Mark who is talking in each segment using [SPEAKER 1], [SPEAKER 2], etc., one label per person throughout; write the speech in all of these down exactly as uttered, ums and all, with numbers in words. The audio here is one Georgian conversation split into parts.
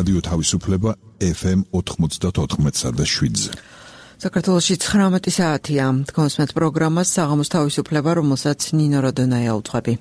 [SPEAKER 1] რადიო თავისუფლება ეფ ემ ოთხმოცდაოთხ და შვიდზე.
[SPEAKER 2] საქართველოში ცხრამეტი საათია. თქვენს პროგრამას საღამოს თავისუფლება, რომელსაც ნინო როდონაია უძღვები.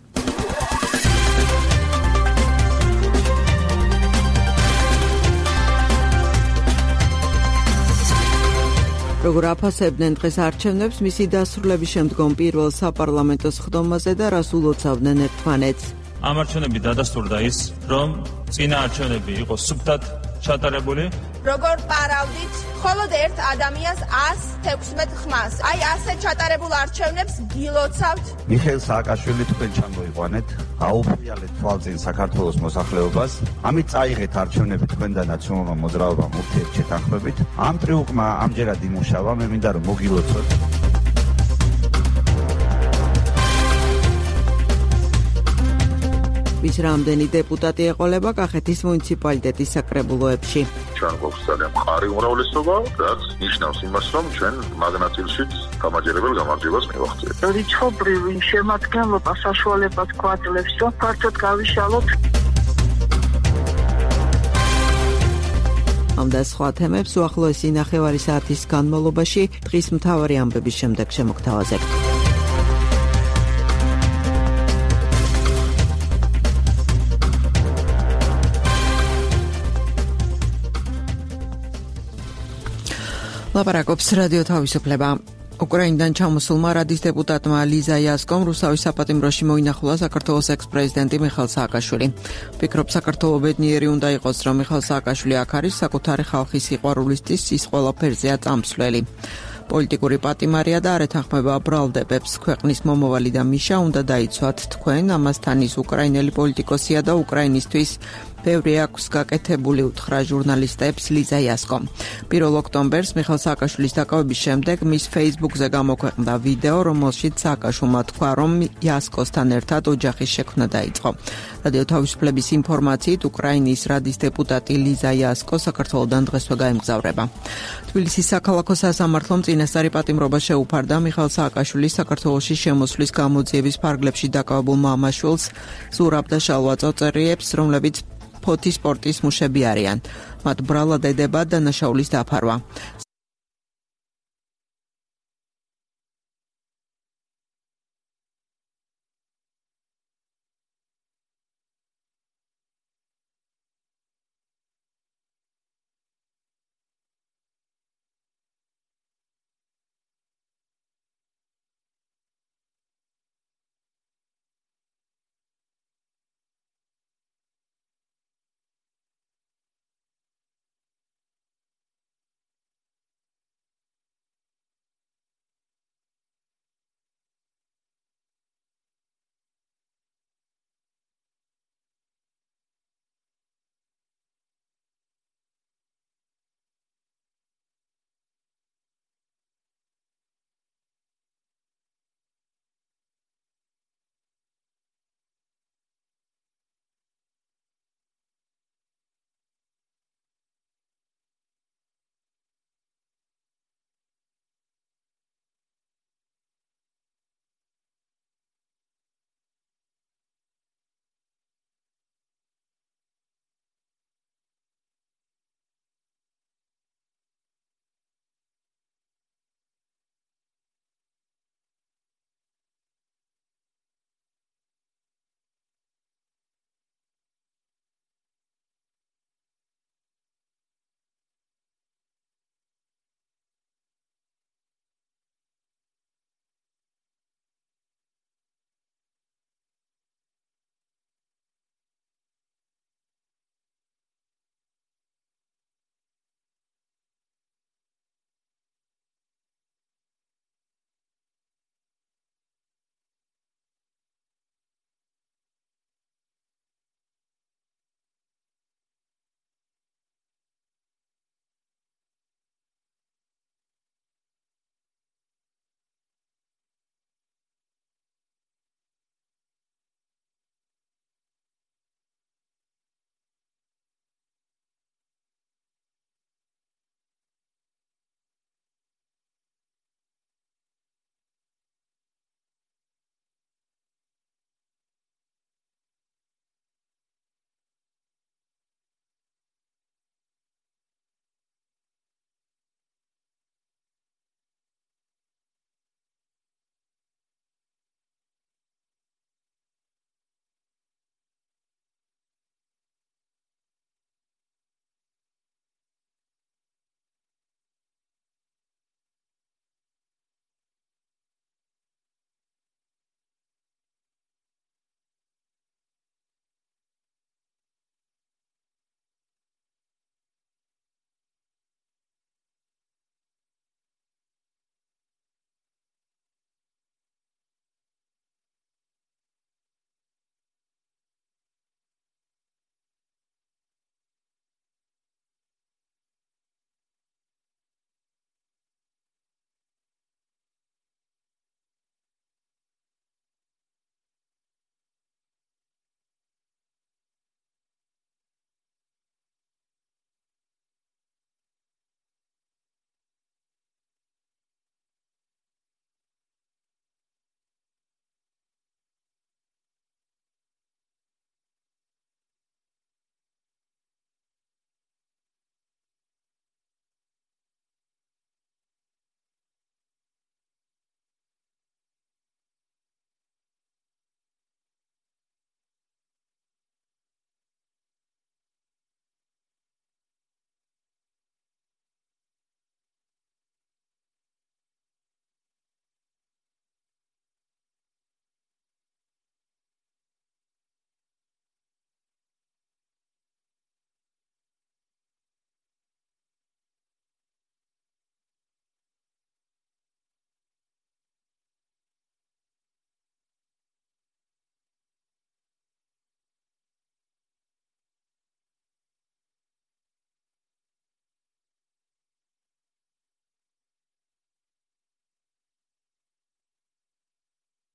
[SPEAKER 2] როგორ აფასებდნენ დღეს არჩევნებს მისი დასრულების შემდგომ პირველ საპარლამენტო სხდომაზე და რას ულოცავდნენ ერთმანეთს.
[SPEAKER 3] ამ არჩევნები დადასტურდა ის, რომ წინა არჩევნები იყო სუფთად ჩატარებული.
[SPEAKER 4] როგორ პარავდით მხოლოდ ერთ ადამიანს ას თექვსმეტ ხმას. აი ასე ჩატარებულ არჩევნებს გილოცავთ.
[SPEAKER 5] მიხეილ სააკაშვილი თქვენ ჩამოიყვანეთ, აუფრიალეთ თვალწინ საქართველოს მოსახლეობას. ამით წაიღეთ არჩევნები თქვენ და ნაციონალურმა მოძრაობამ ურთიერთშეთანხმებით. ამ ტრიუკმა ამჯერად იმუშავა, მე მინდა რომ მოგილოცოთ.
[SPEAKER 2] ვის რამდენი დეპუტატი ეყოლება კახეთის მუნიციპალიტეტის საკრებულოებში.
[SPEAKER 6] ჩვენ გვაქვს ძალიან მყარი უმრავლესობა, რაც ნიშნავს იმას, რომ ჩვენ მაგნაწილშიც გამაჯერებელ გამარჯვებას მივახციეთ.
[SPEAKER 7] რიცხობრივ შემადგენლობა საშუალებას გვაძლევს, რომ ფართოდ გავიშალოთ.
[SPEAKER 2] ამ და სხვა თემებს უახლოესი ნახევარი საათის განმავლობაში დღის მთავარი ამბების შემდეგ შემოგთავაზებთ. ლაპარაკობს რადიო თავისუფლება. უკრაინიდან ჩამოსულმა რადის დეპუტატმა ლიზა იასკომ რუსთავის საპატიმროში მოინახულა საქართველოს ექს-პრეზიდენტი მიხეილ სააკაშვილი. ვფიქრობ, საქართველო ბედნიერი უნდა იყოს, რომ მიხეილ სააკაშვილი აქ არის, საკუთარი ხალხის სიყვარულისთვის ის ყველაფერზეა წამსვლელი. პოლიტიკური პატიმარია და არ ეთანხმება ბრალდებებს. ქვეყნის მომავალი და მიშა უნდა დაიცვათ თქვენ, ამასთან ის უკრაინელი პოლიტიკოსია და უკრაინისთვის ბევრი აქვს გაკეთებული, უთხრა ჟურნალისტებს ლიზა იასკომ. პირველ ოქტომბერს მიხეილ სააკაშვილის დაკავების შემდეგ მის ფეისბუქზე გამოქვეყნდა ვიდეო, რომელშიც სააკაშვილმა თქვა, რომ იასკოსთან ერთად ოჯახის შექმნა დაიწყო. რადიო თავისუფლების ინფორმაციით, უკრაინის რადის დეპუტატი ლიზა იასკო საქართველოდან დღესვე გაემგზავრება. თბილისის საქალაქო სასამართლომ წინასწარი პატიმრობა შეუფარდა მიხეილ სააკაშვილის საქართველოში შემოსვლის გამოძიების ფარგლებში დაკავებულ მამაშვილს, ზურაბ და შალვა წოწერიებს, რომლებიც ფოთის სპორტის მუშები არიან. მათ ბრალად ედება დანაშაულის დაფარვა.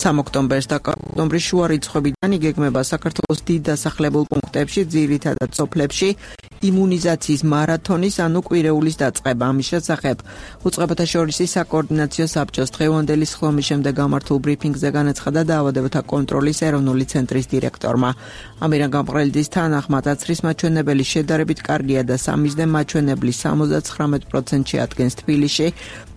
[SPEAKER 2] სამი ოქტომბერს და ოქტომბრის შუა რიცხვებიდან იგეგმება საქართველოს დიდ დასახლებულ პუნქტებში, ძირითადად სოფლებში, იმუნიზაციის მარათონის, ანუ კვირეულის დაწყება. ამის შესახებ უწყებათა შორის საკოორდინაციო საბჭოს დღევანდელი სხდომის შემდეგ გამართულ ბრიფინგზე განაცხადა დაავადებათა კონტროლის ეროვნული ცენტრის დირექტორმა. ამირან გამყრელიძის თანახმად აცრის მაჩვენებელი შედარებით კარგია და სამიზნე მაჩვენებლის სამოცდათხრამეტ პროცენტში ადგენს თბილისში,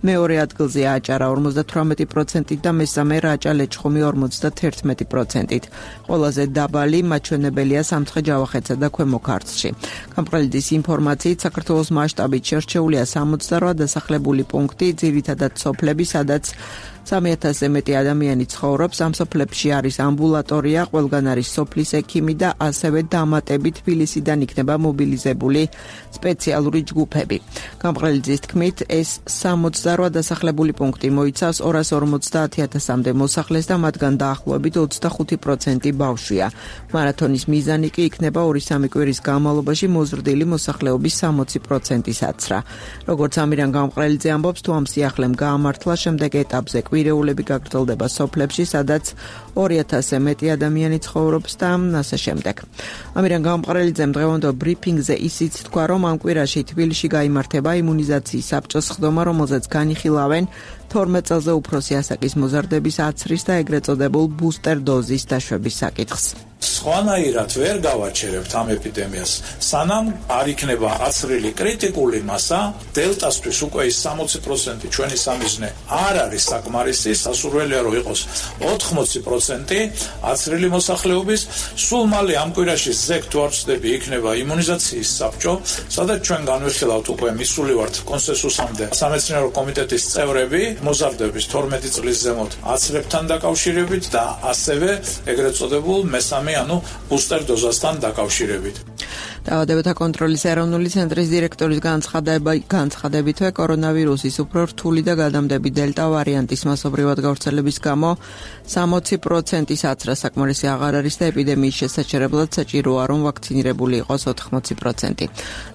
[SPEAKER 2] მეორე ადგილზე აჭარა ორმოცდათვრამეტი პროცენტით და მესამე რაჭა-ლეჩხუმი ორმოცდათერთმეტი პროცენტით. ყველაზე დაბალი მაჩვენებელია სამცხე-ჯავახეთსა და ქვემო ქართლში. გამყრელიძის ინფორმაციით საქართველოს მასშტაბით შერჩეულია სამოცდარვა დასახლებული პუნქტი, ძირითადად სოფლები, სადაც სამი ათასზე მეტი ადამიანი ცხოვრობს. ამ სოფლებში არის ამბულატორია, ყველგან არის სოფლის ექიმი და ასევე დამატებით თბილისიდან იქნება მობილიზებული სპეციალური ჯგუფები. გამყრელიძის თქმით, ეს სამოცდარვა დასახლებული პუნქტი მოიცავს ორას ორმოცდაათი ათასამდე მოსახლეს და მათგან დაახლოებით ოცდახუთი პროცენტი ბავშვია. მარათონის მიზანი კი იქნება ორი-სამი კვირის განმავლობაში მოზრდილი მოსახლეობის სამოცი პროცენტის აცრა. როგორც ამირან გამყრელიძე ამბობს, თუ ამ სიახლემ გაამართლა, შემდეგ ეტაპზე კვირეულები გაგრძელდება სოფლებში, სადაც ორი ათასზე მეტი ადამიანი ცხოვრობს და ასე შემდეგ. ამირან გამყრელიძემ დღევანდელ ბრიფინგზე ისიც თქვა, რომ ამ კვირაში თბილისში გაიმართება იმუნიზაციის საბჭოს სხდომა, რომელზეც განიხილავენ თორმეტ წელზე უფროსი ასაკის მოზარდების აცრის და ეგრეთ წოდებულ ბუსტერ დოზის დაშვების საკითხს.
[SPEAKER 8] სხვანაირად ვერ გავაჩერებთ ამ ეპიდემიას, სანამ არ იქნება აცრილი კრიტიკული მასა, დელტასთვის უკვე ის სამოცი პროცენტი ჩვენი სამიზნე არ არის საკმარისი, სასურველია რომ იყოს ოთხმოცი პროცენტი აცრილი მოსახლეობის. სულ მალე ამ კვირაში ზეგ თუ არ ვწდები იქნება იმუნიზაციის საბჭო, სადაც ჩვენ განვიხილავთ უკვე მისული ვართ კონსენსუსამდე სამეცნიერო კომიტეტის წევრები მოზარდების თორმეტი წლის ზემოთ აცრებთან დაკავშირებით და ასევე ეგრეთ წოდებულ მესამე ანუ ბუსტერ დოზასთან დაკავშირებით.
[SPEAKER 2] დაავადებათა კონტროლის ეროვნული ცენტრის დირექტორის განცხადებითვე კორონავირუსის უფრო რთული და გადამდები დელტა ვარიანტის მასობრივად გავრცელების გამო სამოცი პროცენტის აცრა საკმარისი აღარ არის და ეპიდემიის შესაჩერებლად საჭიროა რომ ვაქცინირებული იყოს ოთხმოცი პროცენტი.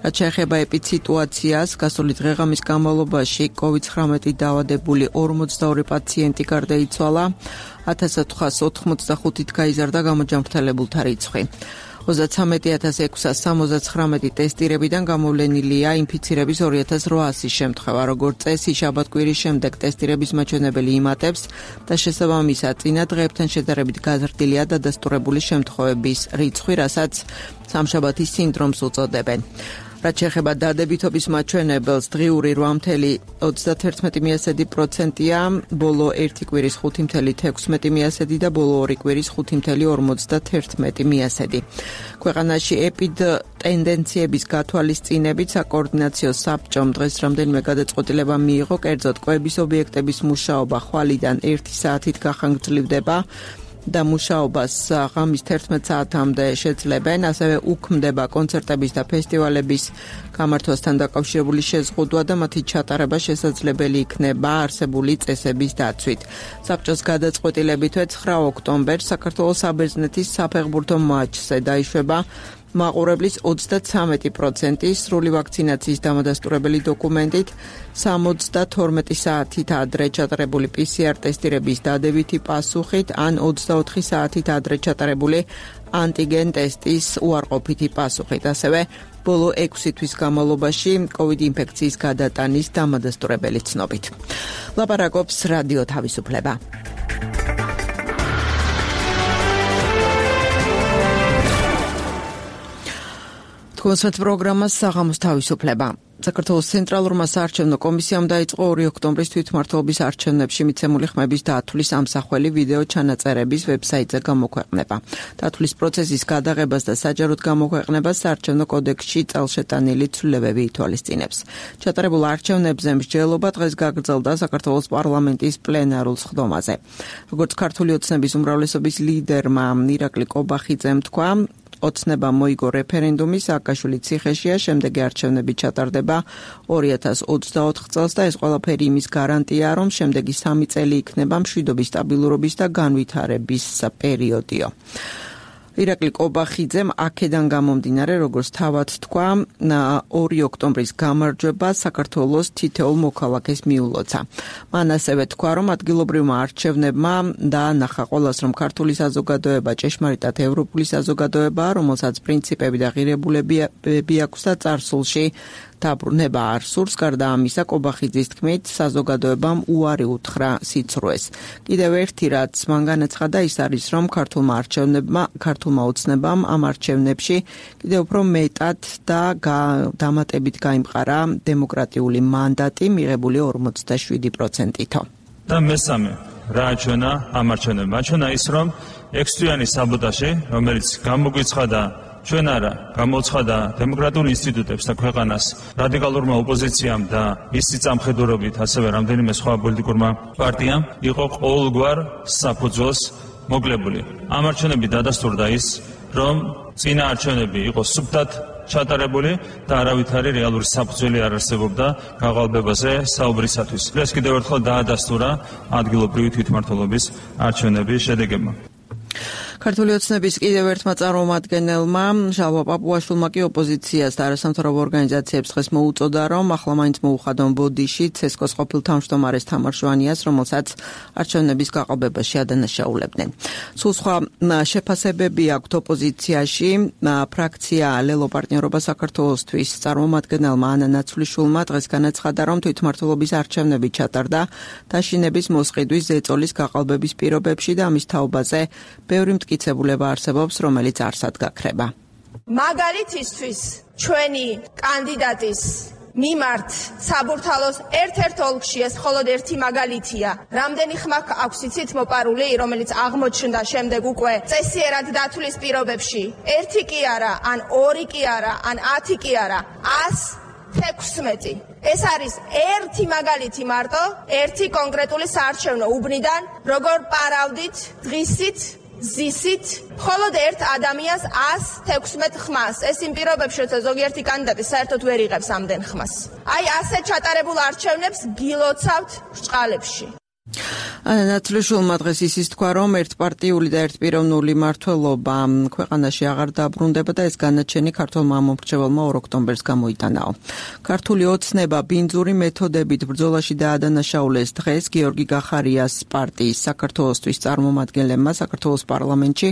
[SPEAKER 2] რაც შეეხება ეპიდსიტუაციას, გასული დღე-ღამის განმავლობაში კოვიდ ცხრამეტი დაავადებული ორმოცდაორი პაციენტი გარდაიცვალა, ათას ოთხას ოთხმოცდახუთით გაიზარდა გამოჯანმრთელებულთა რიცხვი. ოცდათვრამეტი ათას ექვსას სამოცდათხრამეტი ტესტირებიდან გამოვლენილია ინფიცირების ორი ათას რვაასი შემთხვევა. როგორც წესი, შაბათ-კვირის შემდეგ ტესტირების მაჩვენებელი იმატებს და შესაბამისად წინა დღეებთან შედარებით გაზრდილია დადასტურებული შემთხვევების რიცხვი, რასაც სამშაბათის სინდრომს უწოდებენ. რაც შეეხება დადებითობის მაჩვენებელს, დღიური ოცდათერთმეტი პროცენტია, ბოლო ერთი კვირის ხუთი ექვსი და ბოლო ორი კვირის ხუთი ორმოცდათერთმეტი. ქვეყანაში ეპიდ ტენდენციების გათვალისწინებით საკოორდინაციო საბჭომ დღეს რამდენიმე გადაწყვეტილება მიიღო, კერძოდ კვების ობიექტების მუშაობა ხვალიდან ერთი საათით გახანგრძლივდება და მუშაობას ღამის თერთმეტ საათამდე შეძლებენ, ასევე უქმდება კონცერტების და ფესტივალების გამართვასთან დაკავშირებული შეზღუდვა და მათი ჩატარება შესაძლებელი იქნება არსებული წესების დაცვით. საბჭოს გადაწყვეტილებითვე ცხრა ოქტომბერს საქართველოს საბერძნეთის საფეხბურთო მატჩზე დაიშვება მაყურებლის ოცდათვრამეტი პროცენტი სრული ვაქცინაციის დამადასტურებელი დოკუმენტით, სამოცდათორმეტი საათით ადრე ჩატარებული პი სი არ ტესტირების დადებითი პასუხით ან ოცდაოთხი საათით ადრე ჩატარებული ანტიგენ ტესტის უარყოფითი პასუხით. ასევე ბოლო ექვსი თვის განმავლობაში კოვიდ ინფექციის გადატანის დამადასტურებელი ცნობით. ლაპარაკობს რადიო თავისუფლება. კონსერტ პროგრამა საღამოს თავისუფლება. საქართველოს ცენტრალურმა საარჩევნო კომისიამ დაიწყო ორი ოქტომბრის თვითმმართველობის არჩევნებში მიცემული ხმების დათვლის ამსახველი ვიდეო ჩანაწერების ვებსაიტზე გამოქვეყნება. დათვლის პროცესის გადაღებას და საჯაროდ გამოქვეყნებას საარჩევნო კოდექსში წელშეტანილი ცვლილებები ითვალისწინებს. ჩატარებულ არჩევნებზე მსჯელობა დღეს გაგრძელდა საქართველოს პარლამენტის პლენარულ სხდომაზე. როგორც ქართული ოცნების უმრავლესობის ლიდერმა ირაკლი კობახიძემ თქვა, ოცნება მოიგო რეფერენდუმი, სააკაშვილი ციხეშია, შემდეგი არჩევნები ჩატარდება ორი ათას ოცდაოთხ წელს და ეს ყველაფერი იმის გარანტია, რომ შემდეგი სამი წელი იქნება მშვიდობის, სტაბილურობის და განვითარების პერიოდიო. ირაკლი კობახიძემ აქედან გამომდინარე, როგორც თავად თქვა, ორი ოქტომბრის გამარჯვება საქართველოს თითოეულ მოქალაქეს მიულოცა. მან ასევე თქვა, რომ ადგილობრივმა არჩევნებმა დაანახა ყველას, რომ ქართული საზოგადოება ჭეშმარიტად ევროპული საზოგადოებაა, რომელსაც პრინციპები და ღირებულებები აქვს და წარსულში დაბრუნება არ სურს. გარდა ამისა, კობახიძის თქმით, საზოგადოებამ უარი უთხრა სიცრუეს. კიდევ ერთი რაც მან განაცხადა, ის არის, რომ ქართულმა არჩევნებმა, ქართულმა ოცნებამ ამ არჩევნებში კიდევ უფრო მეტად და დამატებით გაიმყარა დემოკრატიული მანდატი, მიღებული ორმოცდაშვიდი პროცენტითო.
[SPEAKER 3] და მესამე, რა აჩვენა ამ არჩევნებმა? აჩვენა ის, რომ ექვსთვიანი საბოტაჟი, რომელიც გამოგვიცხადა ჩვენ არა, გამოცხადა დემოკრატიულ ინსტიტუტებს და ქვეყანას რადიკალურმა ოპოზიციამ და ის სიწამხედურობით ასევე რამდენიმე სხვა პოლიტიკურმა პარტიამ იყო ყოველგვარ საფუძველს მოკლებული. ამ არჩევნები დადასტურდა ის, რომ წინა არჩევნები იყო სუფთად ჩატარებული და არავითარი რეალური საფუძველი არ არსებობდა გაყალბებაზე საუბრისათვის. ეს კიდევ ერთხელ დაადასტურა ადგილობრივი თვითმმართველობის არჩევნების შედეგებმა.
[SPEAKER 2] ქართული ოცნების კიდევ ერთმა წარმომადგენელმა ჟალვა პაპუაშვილმა კი ოპოზიციას და არასამთავრობო ორგანიზაციებს დღეს მოუწოდა, რომ ახლა მაინც მოუხადონ ბოდიში ცესკოს ყოფილ თავმჯდომარეს თამარ ჟვანიას, რომელსაც არჩევნების გაყალბებაში ადანაშაულებდნენ. სულ სხვა შეფასებები აქვთ ოპოზიციაში. ფრაქცია ლელო პარტნიორობა საქართველოსთვის წარმომადგენელმა ანა ნაცვლიშვილმა დღეს განაცხადა, რომ თვითმმართველობის არჩევნები ჩატარდა დაშინების მოსყიდვის ზეწოლის გაყალბების პირობებში და ამის თაობაზე ბევრი მტკიცებულება არსებობს, რომელიც არსად გაქრება.
[SPEAKER 4] მაგალითისთვის ჩვენი კანდიდატის მიმართ საბურთალოს ერთ-ერთ ოლქში ეს მხოლოდ ერთი მაგალითია. რამდენი ხმა აქვს იცით მოპარული, რომელიც აღმოჩნდა შემდეგ უკვე წესიერად დათვლის პირობებში. ერთი კი არა, ან ორი კი არა, ან ათი კი არა, ას თექვსმეტი. ეს არის ერთი მაგალითი მარტო, ერთი კონკრეტული საარჩევნო უბნიდან, როგორ პარავდით დღისით ზისით მხოლოდ ერთ ადამიანს ას თექვსმეტ ხმას. ეს იმ პირობებში, როცა ზოგიერთი კანდიდატი საერთოდ ვერ იღებს ამდენ ხმას. აი ასე ჩატარებულ არჩევნებს გილოცავთ ბრჭყალებში.
[SPEAKER 2] ანა ნაცვლიშვილმა დღეს ისიც თქვა, რომ ერთპარტიული და ერთპიროვნული მმართველობა ქვეყანაში აღარ დაბრუნდება და ეს განაჩენი ქართულმა მომრჩეველმა ორ ოქტომბერს გამოიტანაო. ქართული ოცნება ბინძური მეთოდებით ბრძოლაში დაადანაშაულეს დღეს გიორგი გახარიას პარტიის საქართველოსთვის წარმომადგენლებმა საქართველოს პარლამენტში,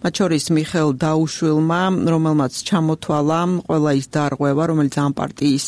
[SPEAKER 2] მათ შორის მიხეილ დაუშვილმა, რომელმაც ჩამოთვალა ყველა ის დარღვევა, რომელიც ამ პარტიის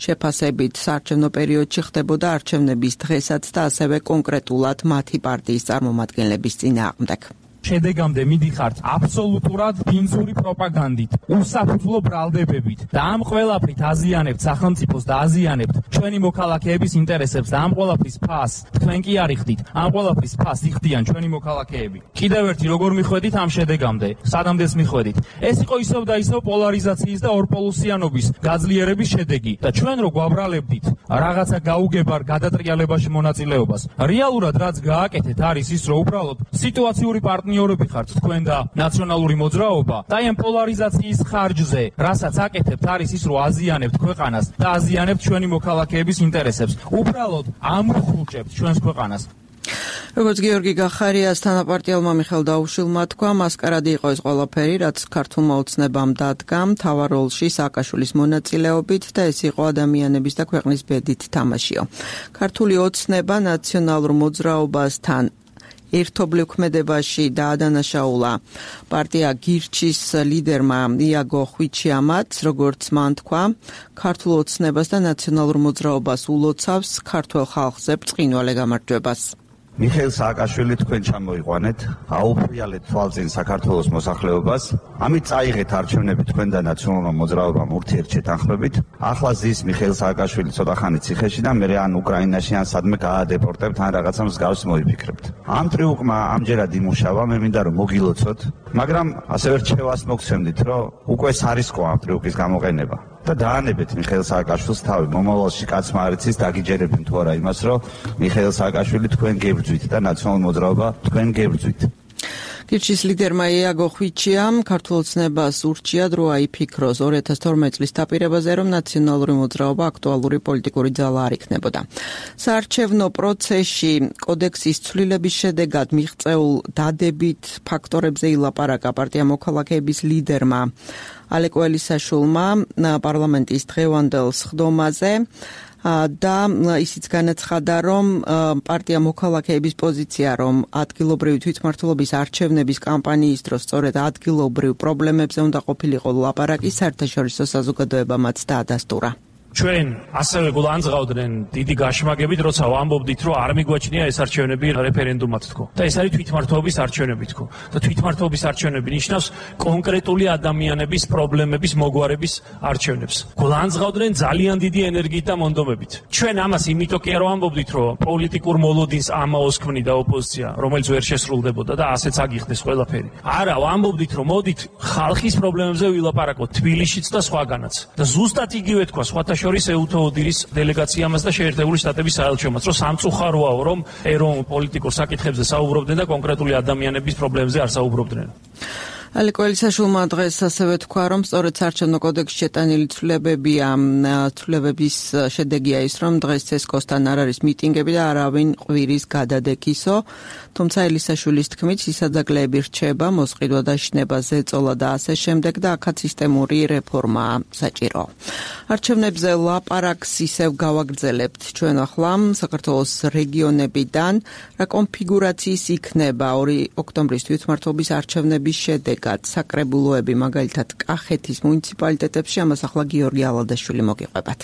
[SPEAKER 2] შეფასებით საარჩევნო პერიოდში ხდებოდა არჩევნების დღესაც და ასევე კონკრეტულად მათი პარტიის წარმომადგენლების წინააღმდეგ.
[SPEAKER 9] შედეგამდე მიდიხართ აბსოლუტურად ბინძური პროპაგანდით, უსაფუძვლო ბრალდებებით და ამ ყველაფრით აზიანებთ სახელმწიფოს და აზიანებთ ჩვენი მოქალაქეების ინტერესებს და ამ ყველაფრის ფას თქვენ კი არ იხდით, ამ ყველაფრის ფას იხდიან ჩვენი მოქალაქეები. კიდევ ერთი როგორ მიხვედით ამ შედეგამდე, სადამდეს მიხვედით. ეს იყო ისევ და ისევ პოლარიზაციის და ორპოლუსიანობის გაძლიერების შედეგი და ჩვენ რო გვაბრალებდით რაღაცა გაუგებარ გადატრიალებაში მონაწილეობას. რეალურად რაც გააკეთეთ არის ის, რომ უბრალოდ სიტუაციური პარტნიორები ხართ თქვენ და ნაციონალური მოძრაობა და ამ პოლარიზაციის ხარჯზე, რასაც აკეთებთ არის ის, რომ აზიანებთ ქვეყანას და აზიანებთ ჩვენი მოქალაქეების ინტერესებს. უბრალოდ ამხულჭებთ ჩვენს ქვეყანას.
[SPEAKER 2] როგორც გიორგი გახარიას თანაპარტიელმა მიხეილ დაუშვილმა თქვა, მასკარადი იყო ეს ყველაფერი, რაც ქართულმა ოცნებამ დადგა მთავარ როლში სააკაშვილის მონაწილეობით და ეს იყო ადამიანების და ქვეყნის ბედით თამაშიო. ქართული ოცნება ნაციონალურ მოძრაობასთან ერთობლივ ქმედებაში დაადანაშაულა პარტია გირჩის ლიდერმა იაგო ხვიჩიამაც, როგორც მან თქვა, ქართულ ოცნებას და ნაციონალურ მოძრაობას ულოცავს ქართულ ხალხზე ბრწყინვალე გამარჯვებას.
[SPEAKER 5] მიხეილ სააკაშვილი თქვენ ჩამოიყვანეთ, აუფრიალეთ თვალწინ საქართველოს მოსახლეობას, ამით წაიღეთ არჩევნები თქვენ და ნაციონალურ მოძრაობამ ურთიერთშეთანხმებით. ახლა ზის მიხეილ სააკაშვილი ცოტა ხანი ციხეში და მე ან უკრაინაში ან სადმე გაადეპორტებთ ან რაღაცა მსგავს მოიფიქრებთ. ამ ტრიუკმა ამჯერად იმუშავა, მე მინდა რომ მოგილოცოთ, მაგრამ ასევე რჩევას მოგცემდით, რომ უკვე სარისკო ამ ტრიუკის გამოყენება. და დაანებეთ მიხეილ სააკაშვილს თავი, მომავალში კაცმა არ იცის დაგიჯერებენ თუ არა იმას, რომ მიხეილ სააკაშვილი თქვენ გებრძვით და ნაციონალურ მოძრაობა თქვენ გებრძვით.
[SPEAKER 2] ფირჩის ლიდერმა იაგო ხვიჩიამ ქართულ ოცნებას ურჩია დრო აიფიქროს ორი ათას თორმეტი წლის დაპირებაზე, რომ ნაციონალური მოძრაობა აქტუალური პოლიტიკური ძალა არ იქნებოდა. საარჩევნო პროცესში კოდექსის ცვლილების შედეგად მიღწეულ დადებით ფაქტორებზე ილაპარაკა პარტია მოქალაქეების ლიდერმა ალეკო ელისაშვილმა პარლამენტის დღევანდელ სხდომაზე და ისიც განაცხადა, რომ პარტია მოქალაქეების პოზიცია, რომ ადგილობრივი თვითმმართველობის არჩევნების კამპანიის დროს სწორედ ადგილობრივ პრობლემებზე უნდა ყოფილიყო ლაპარაკი, საერთაშორისო საზოგადოებამაც დაადასტურა.
[SPEAKER 9] ჩვენ ასევე გულანძღავდნენ დიდი გაშმაგებით, როცა ვამბობდით, რომ არ მიგვაჩნია ეს არჩევნები რეფერენდუმად თქო. და ეს არის თვითმმართველობის არჩევნები თქო. და თვითმმართველობის არჩევნები ნიშნავს კონკრეტული ადამიანების პრობლემების მოგვარების არჩევნებს. გულანძღავდნენ ძალიან დიდი ენერგიით და მონდომებით. ჩვენ ამას იმიტომ კი არ ვამბობდით, რომ პოლიტიკურ მოლოდინს ამაოს ქმნიდა ოპოზიცია, რომელიც ვერ შესრულდებოდა და ასეც აგიხდეს ყველაფერი. არა, ვამბობდით, რომ მოდით ხალხის პრობლემებზე ვილაპარაკოთ თბილისშიც და სხვაგანაც. და ზუსტად იგივე თქვა სხვათა შორის ეუთო ოდირის დელეგაციამაც და შეერთებული შტატების საელჩომაც, რომ სამწუხაროა, რომ ეროვნულ პოლიტიკურ საკითხებზე საუბრობდნენ და კონკრეტული ადამიანების პრობლემებზე არ საუბრობდნენ.
[SPEAKER 2] ალეკო ელისაშვილმა დღეს ასევე თქვა, რომ სწორედ საარჩევნო კოდექსში შეტანილი ცვლილებებია, ცვლილებების შედეგია ის, რომ დღეს ცესკოსთან არ არის მიტინგები და არავინ ყვირის გადადექისო, თუმცა ელისაშვილის თქმით სისაძაგლეები რჩება, მოსყიდვა და შნება ზეწოლა და ასე შემდეგ და აქაც სისტემური რეფორმაა საჭირო. არჩევნებზე ლაპარაკს ისევ გავაგრძელებთ ჩვენ ახლა საქართველოს რეგიონებიდან, რა კონფიგურაციის იქნება ორი ოქტომბრის თვითმმართველობის არჩევნების შედეგი. საკრებულოები მაგალითად კახეთის მუნიციპალიტეტებში, ამას ახლა გიორგი ალადაშვილი მოგიყვებათ.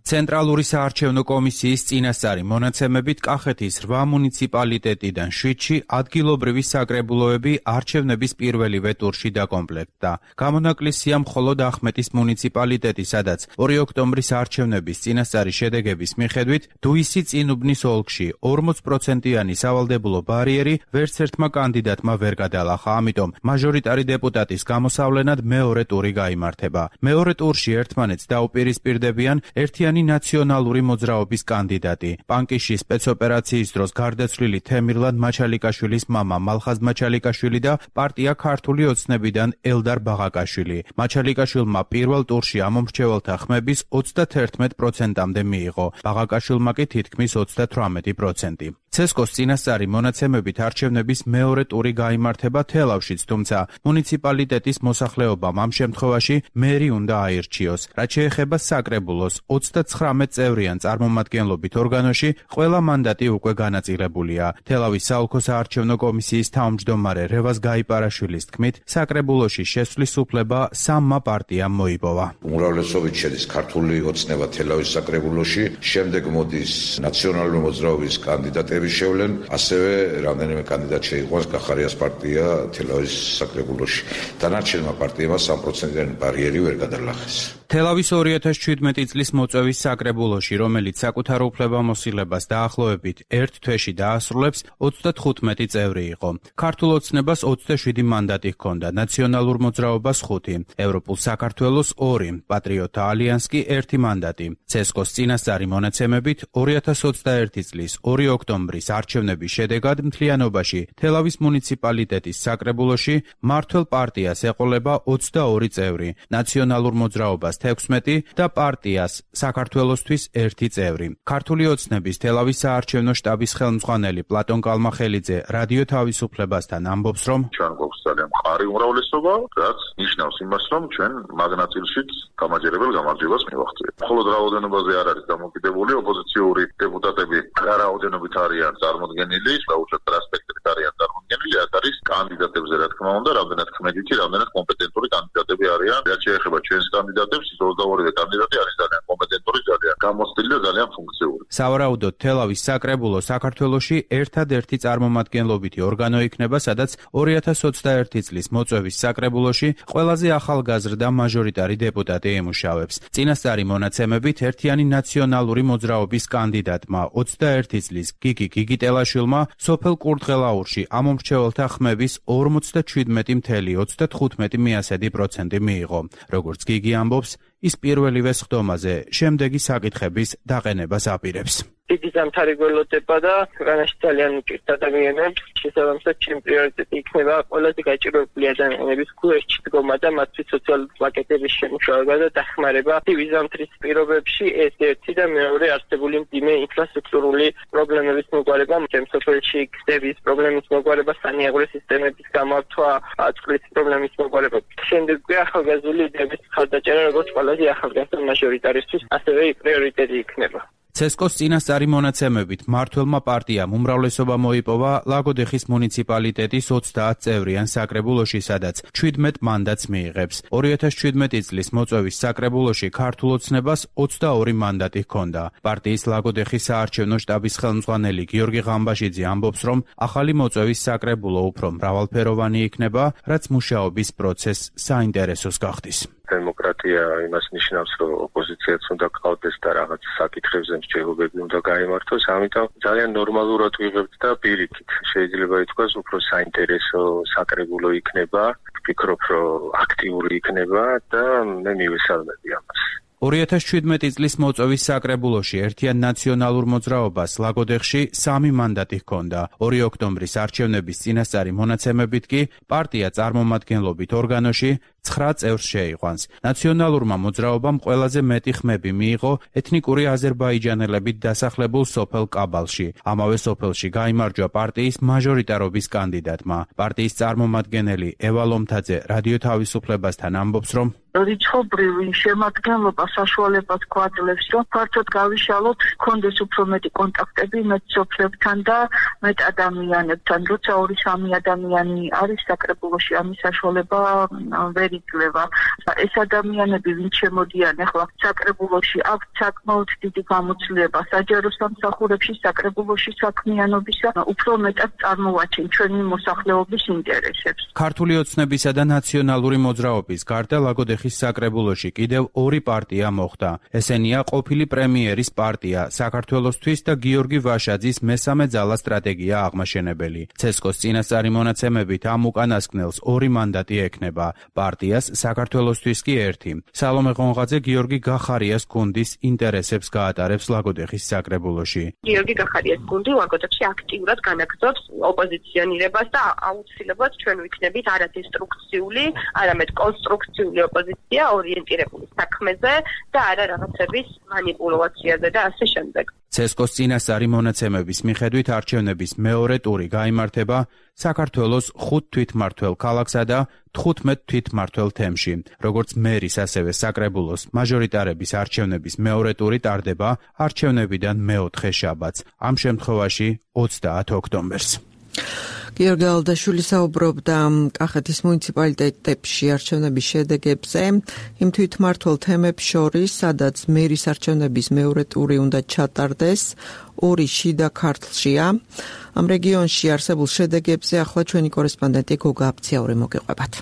[SPEAKER 10] ცენტრალური საარჩევნო კომისიის წინასწარი მონაცემებით კახეთის რვა მუნიციპალიტეტიდან შვიდში ადგილობრივი საკრებულოები არჩევნების პირველივე ტურში დაკომპლექტდა. გამონაკლისია მხოლოდ ახმეტის მუნიციპალიტეტი, სადაც ორი ოქტომბრის არჩევნების წინასწარი შედეგების მიხედვით დუისი წინუბნის ოლქში ორმოც პროცენტიანი სავალდებულო ბარიერი ვერც ერთმა კანდიდატმა ვერ გადალახა, ამიტომ მაჟორიტარი დეპუტატის გამოსავლენად მეორე ტური გაიმართება. მეორე ტურში ერთმანეთს დაუპირისპირდებიან ერთიანი ნაციონალური მოძრაობის კანდიდატი, პანკიში სპეცოპერაციის დროს გარდაცვლილი თემირლან მაჩალიკაშვილის მამა მალხაზ მაჩალიკაშვილი და პარტია ქართული ოცნებიდან ელდარ ბაღაკაშვილი. მაჩალიკაშვილმა პირველ ტურში ამომრჩეველთა ხმების ოცდაათი პროცენტამდე მიიღო, ბაღაკაშვილმა კი თითქმის ოცდათვრამეტი პროცენტი. ცესკოს წინასწარი მონაცემებით არჩევნების მეორე ტური გაიმართება თელავშიც, თუმცა მუნიციპალიტეტის მოსახლეობამ ამ შემთხვევაში მერი უნდა აირჩიოს. რაც შეეხება საკრებულოს, ოცდაცხრამეტ წევრიან წარმომადგენლობით ორგანოში ყველა მანდატი უკვე განაწილებულია. თელავის საოლქო საარჩევნო კომისიის თავმჯდომარე რევაზ გაიპარაშვილის თქმით, საკრებულოში შესვლის უფლება სამმა პარტიამ მოიპოვა.
[SPEAKER 11] უმრავლესობით შედის ქართული ოცნება თელავის საკრებულოში, შემდეგ მოდის ნაციონალური მოძრაობის კანდიდატები შევლენ, ასევე რამდენიმე კანდიდატ შეიყვანს კახარიას პარტია თელავის საკრებულოში. დანარჩენმა პარტიებმა სამი პროცენტიანი ბარიერი ვერ გადალახეს.
[SPEAKER 10] თელავის ორი ათას შვიდმეტი წლის მოწვევის საკრებულოში, რომელიც საკუთარ უფლებამოსილებას დაახლოებით ერთ თვეში დაასრულებს, ოცდათხუთმეტი წევრი იყო. ქართულ ოცნებას ოცდაშვიდი მანდატი ჰქონდა, ნაციონალურ მოძრაობას ხუთი, ევროპულ საქართველოს ორი, პატრიოტთა ალიანსს კი ერთი მანდატი. ცესკოს წინასწარი მონაცემებით ორი ათას ოცდაერთი წლის ორი ოქტომბრის არჩევნების შედეგად მთლიანობაში თელავის მუნიციპალიტეტის საკრებულოში მმართველ პარტიას ეყოლება ოცდაორი წევრი, ნაციონალურ მოძრაობას თექვსმეტი და პარტიას საქართველოსთვის ერთი წევრი. ქართული ოცნების თელავის საარჩევნო შტაბის ხელმძღვანელი პლატონ კალმახელიძე რადიო თავისუფლებასთან ამბობს, რომ
[SPEAKER 6] ჩვენ გვაქვს ძალიან მყარი უმრავლესობა, რაც ნიშნავს იმას, რომ ჩვენ მაგნაწილშიც გამაჯერებელ გამარჯვებას მივახციეთ. მხოლოდ რაოდენობაზე არ არის დამოკიდებული, ოპოზიციური დეპუტატები რაოდენობით არიან წარმოდგენილი, საერთოდ ასპექტით არიან წარმოდგენილი, აქ არის კანდიდატებზე რა თქმა უნდა, რამდენად ქმედითი, რამდენად კომპეტენტური კანდიდატები არიან. რაც შეეხება ჩვენს კანდიდატებს, ოცდაორი კანდიდატი არის ძალიან კომპეტენტური, ძალიან გამოცდილი და ძალიან ფუნქციური.
[SPEAKER 10] სავარაუდოდ თელავის საკრებულო საქართველოში ერთადერთი წარმომადგენლობითი ორგანო იქნება, სადაც ორი ათას ოცდაერთი წლის მოწვევის საკრებულოში ყველაზე ახალგაზრდა მაჟორიტარი დეპუტატი ემუშავებს. წინასწარი მონაცემებით ერთიანი ნაციონალური მოძრაობის კანდიდატმა ოცდაერთი წლის გიგი გიგიტელაშვილმა სოფელ კურთხელაურში ამომრჩეველთა ხმების ორმოცდაშვიდმეტი წელი ოცდათხუთმეტი პროცენტი მიიღო. როგორც გიგი ამბობს, ის პირველივე სხდომაზე შემდეგი საკითხების დაყენებას აპირებს.
[SPEAKER 12] დიდი ზამთარი გველოდება და ქვეყანაში ძალიან უჭირთ ადამიანებს. შესაბამისად, ჩემი პრიორიტეტი იქნება ყველაზე გაჭირვებული ადამიანების გულში დგომა და მათთვის სოციალური პაკეტების შემუშავება და დახმარება. ცივი ზამთრის პირობებში ეს ერთი და მეორე არსებული მძიმე ინფრასტრუქტურული პრობლემების მოგვარება, შემსოფელში გზების პრობლემის მოგვარება, სანიაღვრე სისტემების გამართვა, წყლის პრობლემის მოგვარება. შემდეგი ახალგაზრდული იდეების ხარდაჭერა, როგორც ყველაზე ახალგაზრდა მაჟორიტარისთვის, ასევე პრიორიტეტი იქნება.
[SPEAKER 10] ცესკოს წინასწარი მონაცემებით მმართველმა პარტიამ უმრავლესობა მოიპოვა ლაგოდეხის მუნიციპალიტეტის ოცდაათ წევრიან საკრებულოში, სადაც შვიდმეტ მანდატს მიიღებს. ორი ათას შვიდმეტი წლის მოწვევის საკრებულოში ქართულ ოცნებას ოცდაორი მანდატი ჰქონდა. პარტიის ლაგოდეხის საარჩევნო შტაბის ხელმძღვანელი გიორგი ღამბაშიძე ამბობს, რომ ახალი მოწვევის საკრებულო უფრო მრავალფეროვანი იქნება, რაც მუშაობის პროცესს საინტერესოს გახდის.
[SPEAKER 13] დემოკრატია იმას ნიშნავს, რომ ოპოზიციაც უნდა გყავდეს და რაღაც საკითხებზე მსჯელობები უნდა გაიმართოს, ამიტომ ძალიან ნორმალურად ვიღებთ და პირიქით შეიძლება ითქვას, უფრო საინტერესო საკრებულო იქნება, ვფიქრობ, რომ აქტიური იქნება და მე მივესალმები ამას.
[SPEAKER 10] ორი ათას შვიდმეტი წლის მოწვევის საკრებულოში ერთიან ნაციონალურ მოძრაობას ლაგოდეხში სამი მანდატი ჰქონდა. ორი ოქტომბრის არჩევნების წინასწარი მონაცემებით კი პარტია წარმომადგენლობით ორგანოში ცხრა წევრს შეიყვანს. ნაციონალურმა მოძრაობამ ყველაზე მეტი ხმები მიიღო ეთნიკური აზერბაიჯანელებით დასახლებულ სოფელ კაბალში. ამავე სოფელში გაიმარჯვა პარტიის მაჟორიტარობის კანდიდატმა. პარტიის წარმომადგენელი ევა ლომთაძე რადიო თავისუფლებასთან ამბობს, რომ
[SPEAKER 7] რიცხობრივი შემადგენლობა საშუალებას გვაძლევს, რომ ფართოდ გავიშალოთ, გქონდეს უფრო მეტი კონტაქტები მეტ სოფლებთან და მეტ ადამიანებთან. როცა ორი სამი ადამიანი არის საკრებულოში, ამის საშუალება ვერ იძლევა. ეს ადამიანები, ვინც შემოდიან ახლა საკრებულოში, აქვთ საკმაოდ დიდი გამოცდილება საჯარო სამსახურებში, საკრებულოში საქმიანობისა, უფრო მეტად წარმოვაჩენ ჩვენი მოსახლეობის ინტერესებს.
[SPEAKER 10] ქართული ოცნებისა და ნაციონალური მოძრაობის გარდა ლაგოდეხის საკრებულოში კიდევ ორი პარტია მოხვდა. ესენია ყოფილი პრემიერის პარტია საქართველოსთვის და გიორგი ვაშაძის მესამე ძალა სტრატეგია აღმაშენებელი. ცესკოს წინასწარი მონაცემებით ამ უკანასკნელს ორი მანდატი ექნება. პარტიას საქართველოსთვის კი ერთი. სალომე ღონღაძე გიორგი გახარიას გუნდის ინტერესებს გაატარებს ლაგოდეხის საკრებულოში.
[SPEAKER 14] გიორგი გახარიას გუნდი ლაგოდეხში აქტიურად განაგრძობს ოპოზიციონირებას და აუცილებლად ჩვენ ვიქნებით არადესტრუქციული, არამედ კონსტრუქციული ოპოზიცია ორიენტირებული საქმეზე და არა რაღაცების მანიპულაციაზე და ასე შემდეგ.
[SPEAKER 10] ცესკოს წინასწარი მონაცემების მიხედვით არჩევნების მეორე ტური გაიმართება საქართველოს ხუთ თვითმმართველ ქალაქსა და თხუთმეტ თვითმმართველ თემში. როგორც მერის, ასევე საკრებულოს მაჟორიტარების არჩევნების მეორე ტური ტარდება არჩევნებიდან მეოთხე შაბათს, ამ შემთხვევაში ოცდაათ ოქტომბერს.
[SPEAKER 2] გიორგი ალდაშვილი საუბრობდა კახეთის მუნიციპალიტეტებში არჩევნების შედეგებზე, იმ თვითმმართველ თემებს შორის, სადაც მერის არჩევნების მეორე ტური უნდა ჩატარდეს, ორი შიდა ქართლშია. ამ რეგიონში არსებულ შედეგებზე ახლა ჩვენი კორესპონდენტი გოგა აფციაური მოგეყვებათ.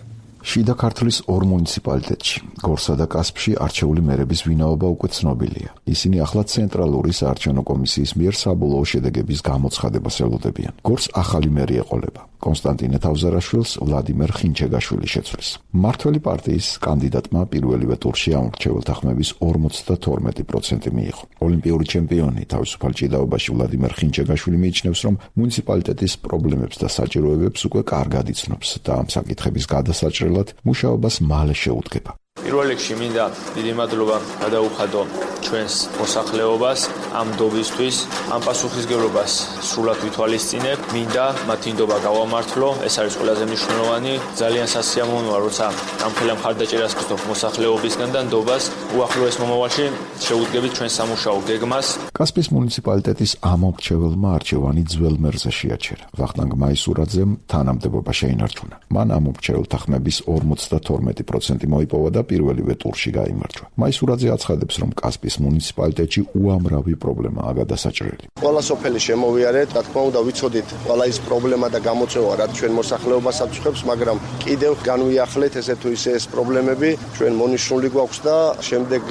[SPEAKER 1] შიდა ქართლის ორ მუნიციპალიტეტში, გორსა და კასპში არჩეული მერების ვინაობა უკვე ცნობილია. ისინი ახლა ცენტრალური საარჩევნო კომისიის მიერ საბოლოო შედეგების გამოცხადებას ელოდებიან. გორს ახალი მერი ეყოლება. კონსტანტინე თავზარაშვილს ვლადიმერ ხინჩეგაშვილი შეცვლის. მმართველი პარტიის კანდიდატმა პირველივე ტურში ამორჩეველთა ხმების ორმოცდათორმეტი პროცენტი მიიღო. ოლიმპიური ჩემპიონი თავისუფალ ჭიდაობაში ვლადიმერ ხინჩეგაშვილი მიიჩნევს, რომ მუნიციპალიტეტის პრობლემებს და საჭიროებებს უკვე კარგად იცნობს და ამ საკითხების გადასაჭრელად მუშაობას მალე შეუდგება.
[SPEAKER 15] პირველ რიგში მინდა დიდი მადლობა გადაუხადო ჩვენს მოსახლეობას ამ დობისთვის, ამ პასუხისგებლობას სრულად ვითვალისწინებ. მინდა მათი ნდობა გავამართლო, ეს არის ყველაზე მნიშვნელოვანი. ძალიან სასიამოვნოა, როცა ამ ხელა მხარდაჭერას გწდობ მოსახლეობისგან და ნდობას უახლოეს მომავალში შეუდგებით ჩვენ სამუშაო გეგმას.
[SPEAKER 1] კასპის მუნიციპალიტეტის ამორჩეველმა არჩევანი ძველ მერზე შეაჩერა. ვახტანგ მაისურაძემ თანამდებობა შეინარჩუნა. მან ამორჩეველთა ხმების ორმოცდათორმეტი პროცენტი მოიპოვა და პირველივე ტურში გაიმარჯვა. მაისურაძე აცხადებს, რომ კასპის მუნიციპალიტეტში უამრავი პრობლემაა გადასაჭრელი.
[SPEAKER 16] ყველა სოფელი შემოვიარეთ, რა თქმა უნდა ვიცოდით ყველა ის პრობლემა და გამოწვევა, რაც ჩვენ მოსახლეობას აწუხებს, მაგრამ კიდევ განვიახლეთ ესე თუ ისე ეს პრობლემები, ჩვენ მონიშნული გვაქვს და შემდეგ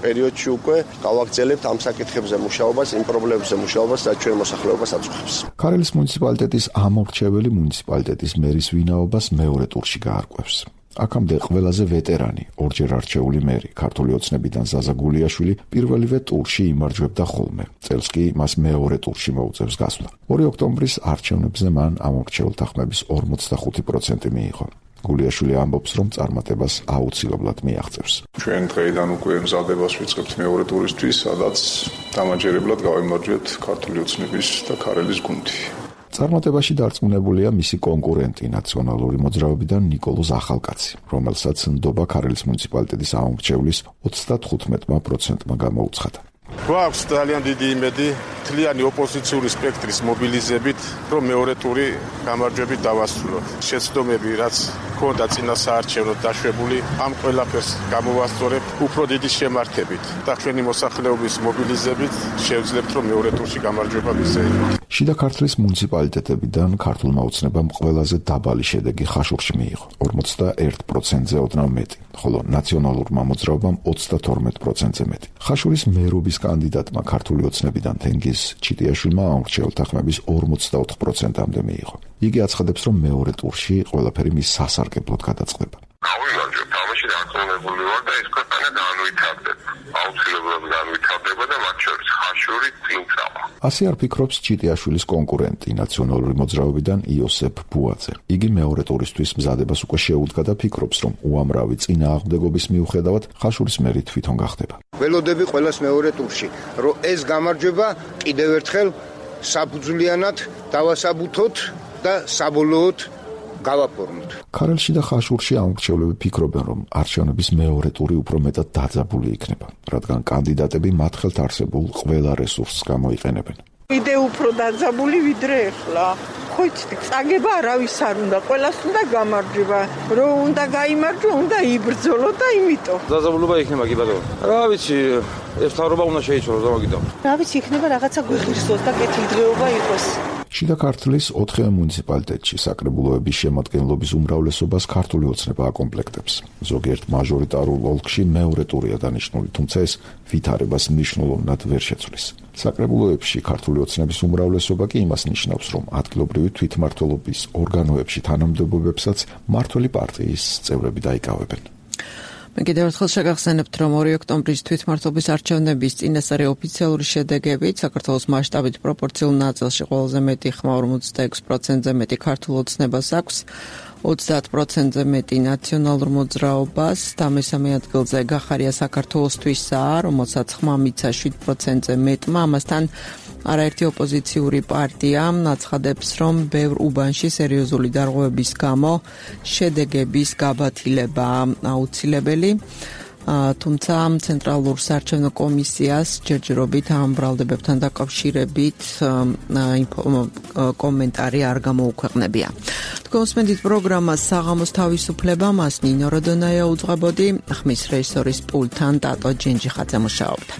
[SPEAKER 16] პერიოდში უკვე გავაგრძელებთ ამ საკითხებზე მუშაობას, იმ პრობლემებზე მუშაობას, რაც ჩვენ მოსახლეობას აწუხებს.
[SPEAKER 1] ქარელის მუნიციპალიტეტის ამორჩეველი მუნიციპალიტეტის მერის ვინაობას მეორე ტურში გაარკვევს. აქამდე ყველაზე ვეტერანი, ორჯერ არჩეული მერი, ქართული ოცნებიდან ზაზა გულიაშვილი პირველივე ტურში იმარჯვებდა ხოლმე. წელს კი მას მეორე ტურში მოუწევს გასვლა. ორი ოქტომბრის არჩევნებზე მან ამ ორჩეულ თანხმების ორმოცდახუთი პროცენტი მიიღო. გულიაშვილი ამბობს, რომ წარმატებას აუცილებლად მიაღწევს.
[SPEAKER 17] ჩვენ დღეიდან უკვე მზადებას ვიწყებთ მეორე ტურისთვის, სადაც დამაჯერებლად გავიმარჯვებთ ქართული ოცნების და ქარელის გუნდი. წარმატებაში დარწმუნებულია მისი კონკურენტი ნაციონალური მოძრაობიდან ნიკოლოზ ახალკაცი, რომელსაც ნდობა ქარელის მუნიციპალიტეტის აუმრჩევლის ოცდათხუთმეტ პროცენტმა გამოუცხადა.
[SPEAKER 18] გვაქვს ძალიან დიდი იმედი მთლიანი ოპოზიციური სპექტრის მობილიზებით, რომ მეორე ტური გამარჯვებით დავასრულოთ. შეცდომები, რაც ჰქონდა წინა საარჩევნოდ დაშვებული, ამ ყველაფერს გამოვასწორებთ უფრო დიდი შემართებით და ჩვენი მოსახლეობის მობილიზებით შევძლებთ, რომ მეორე ტურში გამარჯვება მისცემთ.
[SPEAKER 1] შიდა ქართლის მუნიციპალიტეტებიდან ქართულმა ოცნებამ ყველაზე დაბალი შედეგი ხაშურში მიიღო, ორმოცდაერთ პროცენტზე ოდნავ მეტი, ხოლო ნაციონალურმა მოძრაობამ ოცდათორმეტ პროცენტზე მეტი. ხაშურის მერობის კანდიდატმა ქართული ოცნებიდან თენგიზ ჩიტიაშვილმა აუმრჩეულ თანხმების ორმოცდაოთხ პროცენტამდე მიიღო. იგი აცხადებს, რომ მეორე ტურში ყველაფერი მის სასარგებლოდ გადაწყდება.
[SPEAKER 6] გავიმარჯვებ, თამაში დარწმუნებული ვარ და ეს ქვეყანა განვითარდება. აუცილებლად განვითარდება და მათ შორის ხაშური წინ წავა.
[SPEAKER 1] ასე არ ფიქრობს ჩიტიაშვილის კონკურენტი ნაციონალური მოძრაობიდან იოსებ ბუაძე. იგი მეორე ტურისთვის მზადებას უკვე შეუდგა და ფიქრობს, რომ უამრავი წინააღმდეგობის მიუხედავად ხაშურის მერი თვითონ გახდება.
[SPEAKER 19] ველოდები ყველას მეორე ტურში, რომ ეს გამარჯვება კიდევ ერთხელ საფუძვლიანად დავასაბუთოთ და საბოლოოდ გავაფორმოთ.
[SPEAKER 1] ქარელში და ხაშურში აუმრჩევლები ფიქრობენ, რომ არჩევნების მეორე ტური უფრო მეტად დაძაბული იქნება, რადგან კანდიდატები მათ ხელთ არსებულ ყველა რესურსს გამოიყენებენ.
[SPEAKER 20] კიდე უფრო დაძაბული ვიდრე ახლა. ხო იცით, წაგება არავის არ უნდა, ყველას უნდა გამარჯვება. რო უნდა გაიმარჯვა, უნდა იბრძოლო და იმიტომ.
[SPEAKER 21] დაძაბულობა იქნება კი ბატონო. რა ვიცი, ეს თავრობა უნდა შეიცვალოს და მაგითო.
[SPEAKER 20] რა ვიცი, იქნება რაღაცა გვიხირსოს და კეთილდღეობა იყოს.
[SPEAKER 1] შიდა ქართლის ოთხივე მუნიციპალიტეტში საკრებულოების შემადგენლობის უმრავლესობას ქართული ოცნება აკომპლექტებს. ზოგიერთ მაჟორიტარულ ოლქში მეორე ტურია დანიშნული, თუმცა ეს ვითარებას მნიშვნელოვნად ვერ შეცვლის. საკრებულოებში ქართული ოცნების უმრავლესობა კი იმას ნიშნავს, რომ ადგილობრივი თვითმმართველობის ორგანოებში თანამდებობებსაც მმართველი პარტიის წევრები დაიკავებენ.
[SPEAKER 2] მე კიდევ ერთხელ შეგახსენებთ, რომ ორი ოქტომბრის თვითმმართველობის არჩევნების წინასწარი ოფიციალური შედეგებით საქართველოს მასშტაბით პროპორციულ ნაწილში ყველაზე მეტი ხმა ორმოცდაექვსი პროცენტზე მეტი ქართულ ოცნებას აქვს, ოცდაათ პროცენტზე მეტი ნაციონალურ მოძრაობას და მესამე ადგილზე გახარია საქართველოსთვისაა, რომელსაც ხმა მიცა შვიდ პროცენტზე მეტმა. ამასთან არაერთი ოპოზიციური პარტია აცხადებს, რომ ბევრ უბანში სერიოზული დარღვევების გამო შედეგების გაბათილება აუცილებელი. თუმცა ცენტრალურ საარჩევნო კომისიას ჯერჯერობით ამ ბრალდებებთან დაკავშირებით კომენტარი არ გამოუქვეყნებია. თქვენსმენდით პროგრამას საღამოს თავისუფლება, მას ნინო როდონაია უძღვებოდი, ხმის რეჟისორის პულტთან ტატო ჯენჯიხაძე მუშაობდა.